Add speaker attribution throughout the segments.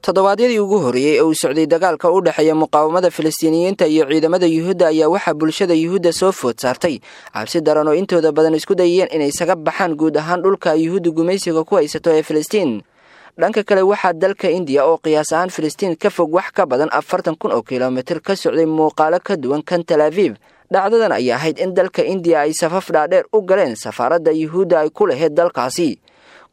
Speaker 1: Toddobaadyadii ugu horreeyey ee uu socday dagaalka u dhexeeya muqaawamada Falastiiniyiinta iyo ciidamada Yuhuudda ayaa waxaa bulshada Yuhuudda soo food saartay cabsi daran oo intooda badan isku dayeen inay isaga baxaan guud ahaan dhulka Yuhuudda gumaysiga ku haysato ee Filistiin. Dhanka kale, waxaa dalka Indiya oo qiyaas ahaan Filistiin ka fog wax ka badan 40,000 oo kilomitir ka socday muuqaalo ka duwan kan Tal Aviv. Dhacdadan ayaa ahayd in dalka Indiya ay safaf dhaadheer u galeen safaaradda Yuhuudda ay ku lahayd dalkaasi,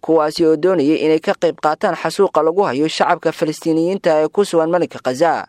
Speaker 1: kuwaasi oo doonayay inay ka qayb qaataan xasuuqa lagu hayo shacabka Falastiiniyiinta ee ku sugan marinka Khaza.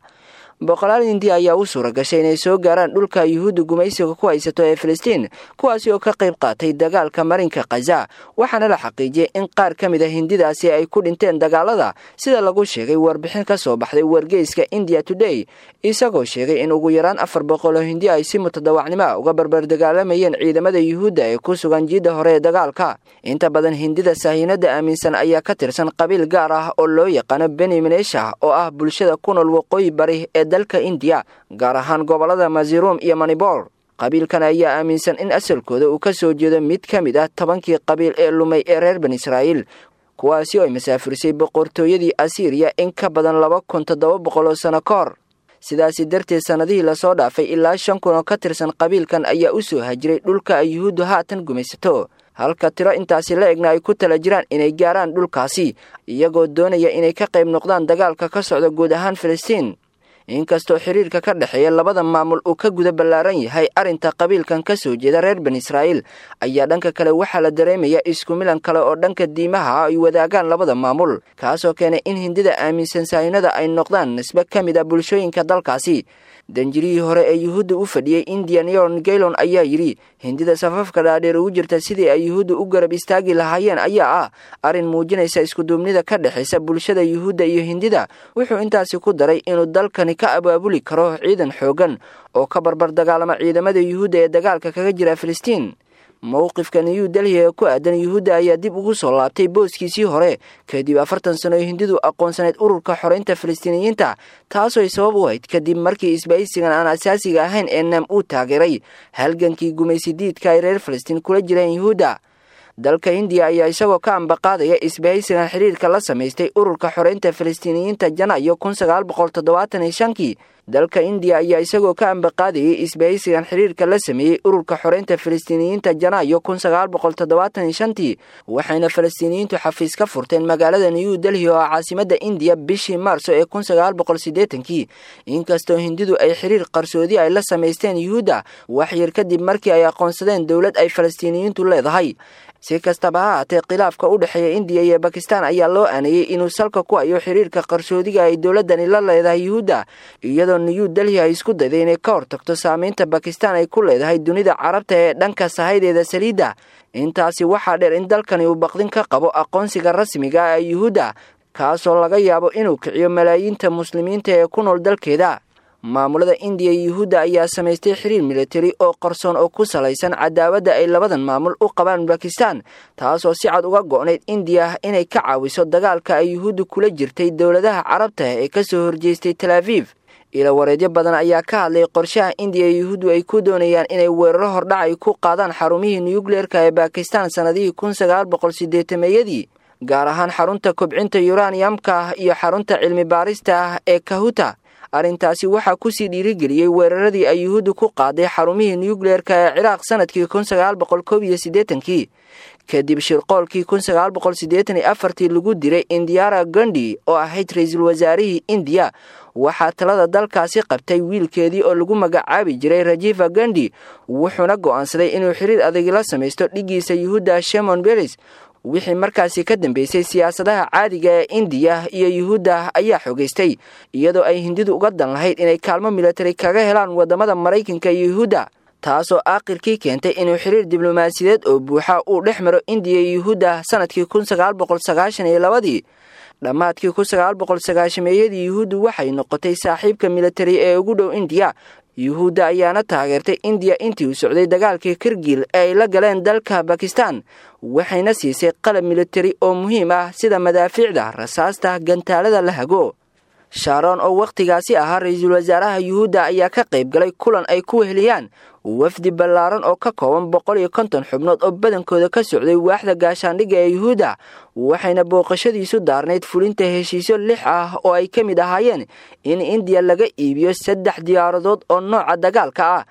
Speaker 1: Boqolaal Hindiya ayaa u suura gashay inay soo gaaraan dhulka Yuhuudda gumaysiga ku haysato ee Filistiin, kuwaasi oo ka qayb qaatay dagaalka marinka Khaza. Waxaana la xaqiijiyey in qaar ka mid a Hindidaasi ay ku dhinteen dagaalada, sida lagu sheegay warbixin ka soo baxday wargeyska India Today, isagoo sheegay in ugu yaraan 400 oo Hindi ay si mutadawacnimo ah uga barbar dagaalamayeen ciidamada Yuhuudda ee ku sugan jiidda hore ee dagaalka. Inta badan Hindida sahiinada aaminsan ayaa ka tirsan qabiil gaar ah oo loo yaqaano Beni Menesha, oo ah bulshada ku nool waqooyi bari ee dalka Indiya, gaar ahaan gobolada Mazirum iyo Manibor. Qabiilkan ayaa aaminsan in asalkooda uu ka soo jeedo mid ka mid ah 10kii qabiil ee lumay ee reer Bani Israa'iil, kuwaasi oo ay masaafurisay boqortooyadii Asiiriya in ka badan 2700 oo sano ka hor. Sidaasi darteed, sannadihii lasoo dhaafay ilaa 5000 oo ka tirsan qabiilkan ayaa u soo hajiray dhulka ay Yuhuuddu haatan gumaysato, halka tiro intaasi la egna ay ku tala jiraan inay gaaraan dhulkaasi, iyagoo doonaya inay ka qayb noqdaan dagaalka ka socda guud ahaan Filistiin. Inkastoo xiriirka ka dhexeeya labada maamul uu ka guda ballaaran yahay arrinta qabiilkan ka soo jeeda reer Bani Israa'iil, ayaa dhanka kale waxaa la dareemaya isku milan kale oo dhanka diimaha ay wadaagaan labada maamul, kaasoo keenay in Hindida aaminsan sahinada ay noqdaan nisbe ka mid a bulshooyinka dalkaasi. Danjirihii hore ee Yuhuudda u fadhiyey Indian, Yoron Gaylon, ayaa yidhi Hindida safafka dhaadheer ugu jirta sidii ay Yuhuudda u garab istaagi lahaayeen ayaa ah arrin muujinaysa iskuduubnida ka dhexaysa bulshada Yuhuudda iyo Hindida. Wuxuu intaasi ku daray inuu dalkani ka abaabuli karo ciidan xooggan oo ka barbar dagaalama ciidamada Yuhuudda ee dagaalka kaga jira Filistiin. Mowqifka New Delhi ee ku aadan Yuhuudda ayaa dib ugu soo laabtay booskiisii hore kadib 40 sano oo Hindidu aqoonsaneyd ururka xoreynta Falastiiniyiinta, taasoo ay sabab u ahayd kadib markii isbahaysigan aan asaasiga ahayn ee NAM uu taageeray halgankii gumaysidiidka ay reer Falastiin kula jireen Yuhuudda. Dalka Hindiya ayaa isagoo ka ambaqaadaya isbahaysigan xiriirka la samaystay ururka xoreynta Falastiiniyiinta Janaayo 1975kii. Dalka Indiya ayaa isagoo ka ambaqaadayay isbahaysigan xiriirka la sameeyey ururka xoreynta Falastiiniyiinta Janaayo 1975tii, waxayna Falastiiniyiintu xafiis ka furteen magaalada New Delhi oo ah caasimadda Indiya bishii Maarso ee 1980kii. Inkastoo Hindidu ay xiriir qarsoodi ay la samaysteen Yuhuudda wax yar kadib markii ay aqoonsadeen dowlad ay Falastiiniyiintu leedahay. Si kastaba ha haatee, khilaafka u dhexeeya Indiya iyo Bakistan ayaa loo aaneeyey inuu salka ku hayo xiriirka qarsoodiga ay dowladdani la leedahay Yuhuudda, iyadoo New Delhi ay isku dayday inay ka hortagto saameynta Bakistan ay ku leedahay dunida Carabta ee dhanka sahaydeeda saliidda. Intaasi waxaa dheer in dalkani uu baqdin ka qabo aqoonsiga rasmiga ah ee Yuhuudda, kaasoo laga yaabo inuu kiciyo malaayiinta muslimiinta ee ku nool dalkeeda. Maamulada Indiya iyo Yuhuudda ayaa samaystay xiriir militari oo qarsoon oo ku salaysan cadaawadda ay labadan maamul u qabaan Bakistan, taasoo si cad uga go'nayd Indiya inay ka caawiso dagaalka ay Yuhuudda kula jirtay dowladaha Carabta ee kasoo horjeestay Tal Aviv. Ila wareedyo badan ayaa ka hadlay qorshaha Indiya iyo Yuhuuddu ay ku doonayaan inay weeraro hordhac ay ku qaadaan xarumihii nuyukleerka ee Bakistan sannadihii 1980meeyadii, gaar ahaan xarunta kobcinta yuraniyamka iyo xarunta cilmi baarista ah ee Kahuta. Arrintaasi waxaa kusii dhiirigeliyey weeraradii ay Yuhuuddu ku qaaday xarumihii nuyukleerka ee Ciraaq sanadkii 1981kii, kadib shirqoolkii 1984tii lagu diray Indiara Gandhi oo ahayd ra-iisul wasaarihii Indiya. Waxaa talada dalkaasi qabtay wiilkeedii oo lagu magacaabi jiray Rajiva Gandhi, wuxuuna go'aansaday inuu xiriir adag la samaysto dhiggiisa Yuhuudda Shimon Beres. Wixii markaasi ka dambeysay, siyaasadaha caadiga ee Indiya iyo Yuhuudda ayaa xogeystay, iyadoo ay Hindidu uga dan lahayd inay kaalmo militari kaga helaan wadamada Maraykanka iyo Yuhuudda, taasoo aakhirkii keentay inuu xiriir diblomaasiyadeed oo buuxa uu dhex maro Indiya iyo Yuhuudda sanadkii 1992dii. Dhammaadkii 1990meeyadii, Yuhuuddu waxay noqotay saaxiibka militari ee ugu dhow Indiya. Yuhuudda ayaana taageertay Indiya intii uu socday dagaalkii Kirgil ee ay la galeen dalka Bakistan, waxayna siisay qalab militari oo muhiim ah sida madaafiicda, rasaasta, gantaalada la hago. Sharon oo wakhtigaasi ahaa ra-iisul wasaaraha Yuhuudda ayaa ka qayb galay kulan ay ku weheliyaan wafdi ballaaran oo ka kooban 150 xubnood oo badankooda ka socday waaxda gaashaandhigga ee Yuhuudda, waxayna booqashadiisu daarnayd fulinta heshiisyo 6 ah oo ay ka mid ahaayeen in Indiya laga iibiyo 3 diyaaradood oo nooca dagaalka ah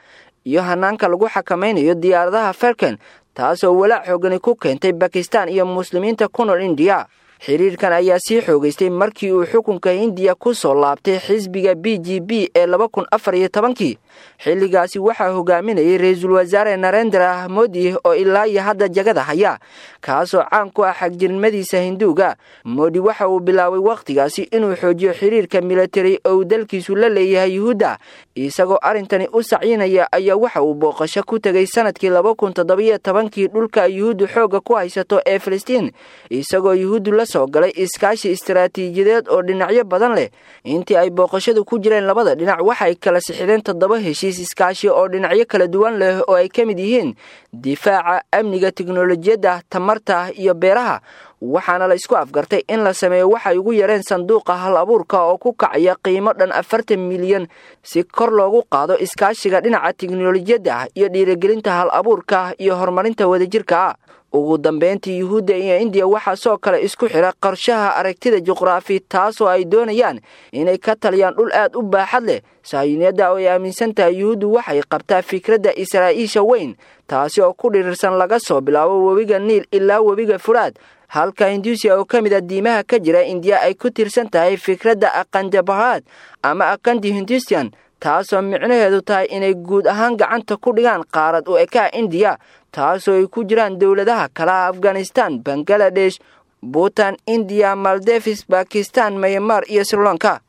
Speaker 1: iyo hanaanka lagu xakamaynayo diyaaradaha Falcon, taasoo walaac xoogani ku keentay Bakistan iyo muslimiinta ku nool Indiya. Xiriirkan ayaa sii xoogaystay markii uu xukunka Hindiya ku soo laabtay xisbiga BJP ee 2014-kii. Xilligaasi waxaa hogaaminayay ra-iisul wasaare Narendra Modi oo ilaa iyo hadda jagada haya, kaasoo caan ku ah xagjirnimadiisa Hinduuga. Modi waxa uu bilaabay wakhtigaasi inuu xoojiyo xiriirka militari oo uu dalkiisu la leeyahay Yuhuudda, isagoo arrintani u sacyinaya ayaa waxa uu booqasho ku tegay sanadkii 2017-kii dhulka Yuhuuddu xoogga ku haysato ee Filistiin, isagoo Yuhuuddu la soo galay iskaashi istaraatiijiyadeed oo dhinacyo badan leh. Intii ay booqashadu ku jireen labada dhinac waxay kala sixideen 7 heshiis iskaashi oo dhinacyo kala duwan leh oo ay ka mid yihiin difaaca, amniga, tiknolojiyadda, tamarta iyo beeraha. Waxaana la isku afgartay in la sameeyo waxay ugu yareen sanduuqa hal abuurka oo ku kacaya qiimo dhan 40 milyan si kor loogu qaado iskaashiga dhinaca tiknolojiyadda iyo dhiirigelinta hal abuurka iyo horumarinta wadajirka ah. Ugu dambeyntii, Yuhuudda iyo Indiya waxaa soo kale isku xira qorshaha aragtida juqraafi, taasoo ay doonayaan inay ka taliyaan dhul aad u baaxad leh. Sahyuuniyadda oo ay aaminsan tahay Yuhuuddu waxay qabtaa fikradda Israa'iisha weyn, taasi oo ku dhirirsan laga soo bilaabo webiga Niil ilaa webiga Furaad, halka Hinduusiya oo ka mid a diimaha ka jira Indiya ay ku tiirsan tahay fikradda Aqandabahad ama Aqandi Hinduusiyan, taasoo micnaheedu tahay inay guud ahaan gacanta ku dhigaan qaarad u ekaha Indiya, taasoo ay ku jiraan dowladaha kalaha Afghanistan, Bangaladesh, Buutan, Indiya, Maldevis, Bakistan, Myanmar iyo Sri Lanka.